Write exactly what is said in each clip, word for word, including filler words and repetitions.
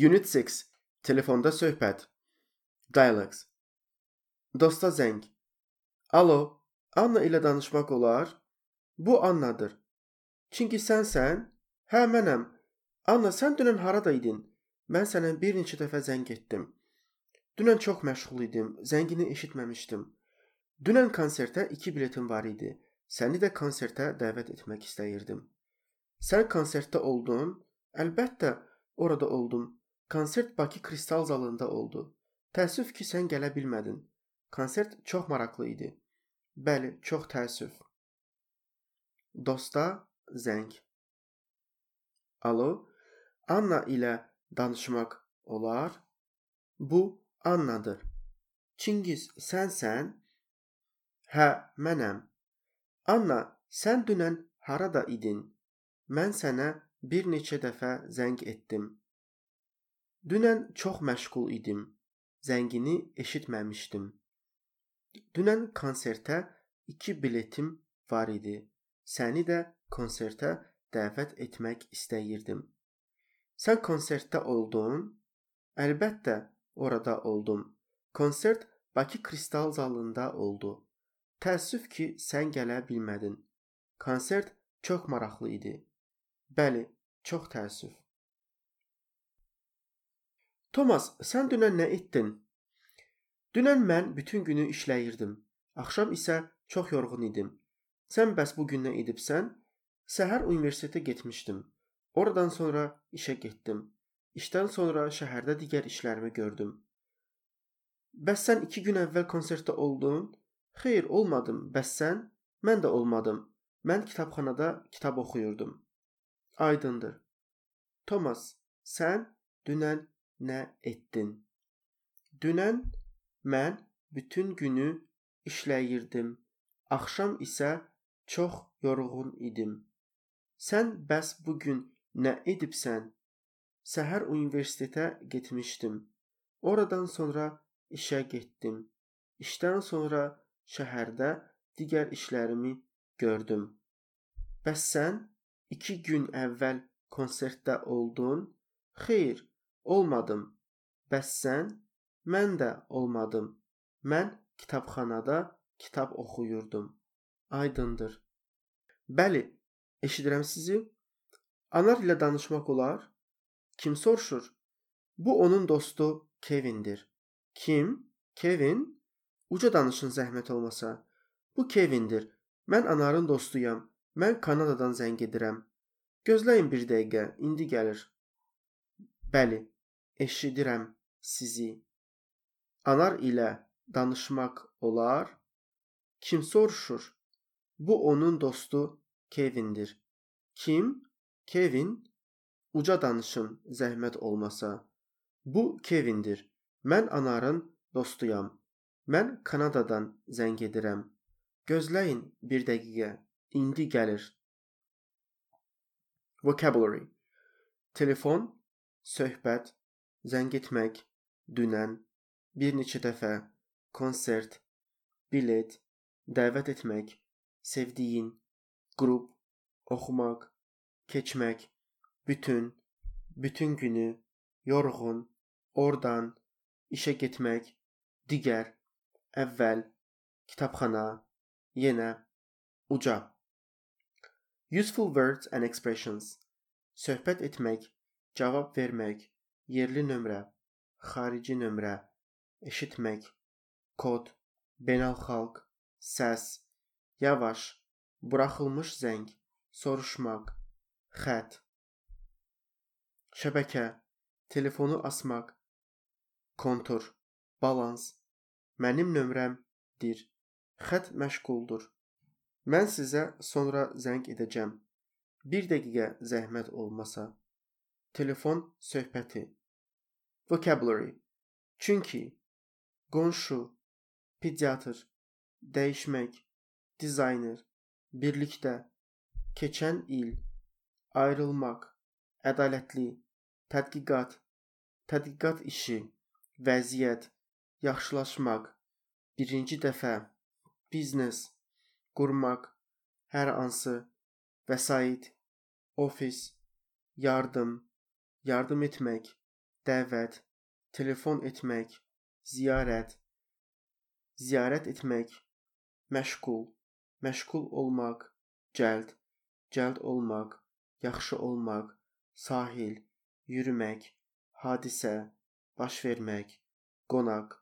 Unit six. Telefonda söhbət. Dialogues. Dosta zəng. Alo, Anna ilə danışmaq olar? Bu Annadır. Çünki sənsən? Hə, mənəm. Anna, sən dünən harada idin? Mən sənə bir neçə dəfə zəng etdim. Dünən çox məşğul idim, zəngini eşitməmişdim. Dünən konsertə iki biletim var idi. Səni də konsertə dəvət etmək istəyirdim. Sən konsertdə oldun? Əlbəttə, orada oldum. Konsert Bakı Kristal zalında oldu. Təəssüf ki, sən gələ bilmədin. Konsert çox maraqlı idi. Bəli, çox təəssüf. Dosta zəng. Alo, Anna ilə danışmaq olar? Bu Annadır. Çingiz, sənsən? Hə, mənəm. Anna, sən dünən harada idin? Mən sənə bir neçə dəfə zəng etdim. Dünən çox məşğul idim. Zəngini eşitməmişdim. Dünən konsertə iki biletim var idi. Səni də konsertə dəvət etmək istəyirdim. Sən konsertdə oldun? Əlbəttə, orada oldum. Konsert Bakı Kristal zalında oldu. Təəssüf ki, sən gələ bilmədin. Konsert çox maraqlı idi. Bəli, çox təəssüf. Thomas, sən dünən nə etdin? Dünən mən bütün günü işləyirdim. Axşam isə çox yorğun idim. Sən bəs bu gün nə edibsən? Səhər universitetə getmişdim. Oradan sonra işə getdim. İşdən sonra şəhərdə digər işlərimi gördüm. Bəs sən iki gün əvvəl konsertdə oldun? Xeyr, olmadım. Bəs sən? Mən də olmadım. Mən kitabxanada kitab oxuyurdum. Aydındır. Thomas, sən dünən nə etdin? Dünən mən bütün günü işləyirdim. Axşam isə çox yorğun idim. Sən bəs bu gün nə edibsən? Səhər universitetə getmişdim. Oradan sonra işə getdim. İşdən sonra şəhərdə digər işlərimi gördüm. Bəs sən iki gün əvvəl konsertdə oldun? Xeyr, olmadım. Bəs sən? Mən də olmadım. Mən kitabxanada kitab oxuyurdum. Aydındır. Bəli, eşidirəm sizi. Anar ilə danışmaq olar? Kim soruşur? Bu onun dostu Kevindir. Kim? Kevin? Uca danışın zəhmət olmasa. Bu Kevindir. Mən Anarın dostuyam. Mən Kanadadan zəng edirəm. Gözləyin bir dəqiqə, indi gəlir. Bəli, eşidirəm sizi. Anar ilə danışmaq olar? Kim soruşur? Bu onun dostu Kevindir. Kim? Kevin? Uca danışın, zəhmət olmasa. Bu Kevindir. Mən Anarın dostuyam. Mən Kanadadan zəng edirəm. Gözləyin bir dəqiqə, indi gəlir. Vocabulary. Telefon, söhbət, zəng etmək, dünən, bir neçə dəfə, konsert, bilet, dəvət etmək, sevdiyin, qrup, oxumaq, keçmək, bütün, bütün günü, yorğun, oradan, işə getmək, digər, əvvəl, kitabxana, yenə, uca. Useful words and expressions. Söhbət etmək, cavab vermək, yerli nömrə, xarici nömrə, eşitmək, kod, beynəlxalq, səs, yavaş, buraxılmış zəng, soruşmaq, xətt. Şəbəkə, telefonu asmaq, kontur, balans, mənim nömrəmdir, xətt məşğuldur. Mən sizə sonra zəng edəcəm. Bir dəqiqə zəhmət olmasa. Telefon söhbəti. Vocabulary. Çünki, qonşu, pediatr, dəyişmək, dizayner, birlikdə, keçən il, ayrılmaq, ədalətli, tədqiqat, tədqiqat işi, vəziyyət, yaxşılaşmaq, birinci dəfə, biznes, qurmaq, hər hansı, vəsait, ofis, yardım, yardım etmək, dəvət, telefon etmək, ziyarət, ziyarət etmək, məşğul, məşğul olmaq, cəld, cəld olmaq, yaxşı olmaq, sahil, yürümək, hadisə, baş vermək, qonaq,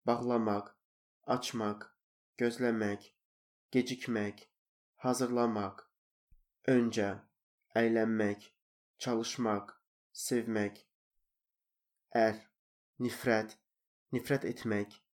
bağlamaq, açmaq, gözləmək, gecikmək, hazırlamaq, öncə, əylənmək, çalışmaq, sevmək, ər, nifrət, nifrət etmək,